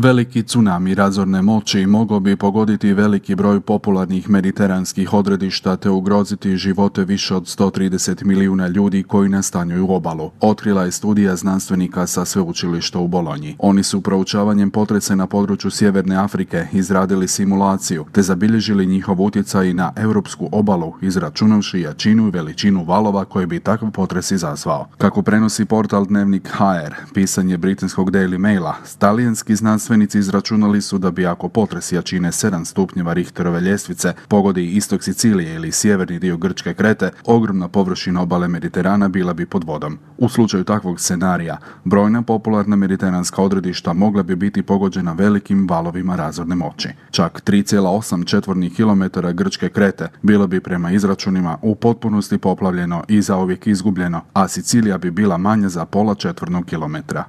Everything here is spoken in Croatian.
Veliki tsunami razorne moći mogao bi pogoditi veliki broj popularnih mediteranskih odredišta te ugroziti živote više od 130 milijuna ljudi koji nastanjuju obalu. Otkrila je studija znanstvenika sa sveučilišta u Bolonji. Oni su proučavanjem potresa na području Sjeverne Afrike izradili simulaciju te zabilježili njihov utjecaj na europsku obalu, izračunavši jačinu i veličinu valova koje bi takav potres izazvao. Kako prenosi portal Dnevnik HR, pisanje britanskog Daily Maila, talijanski znanstvenici izračunali su da bi ako potres jačine 7 stupnjeva Richterove ljestvice pogodi istok Sicilije ili sjeverni dio grčke Krete, ogromna površina obale Mediterana bila bi pod vodom. U slučaju takvog scenarija, brojna popularna mediteranska odredišta mogla bi biti pogođena velikim valovima razorne moći. Čak 3,8 četvornih kilometara grčke Krete bilo bi prema izračunima u potpunosti poplavljeno i zauvijek izgubljeno, a Sicilija bi bila manja za pola četvornog kilometra.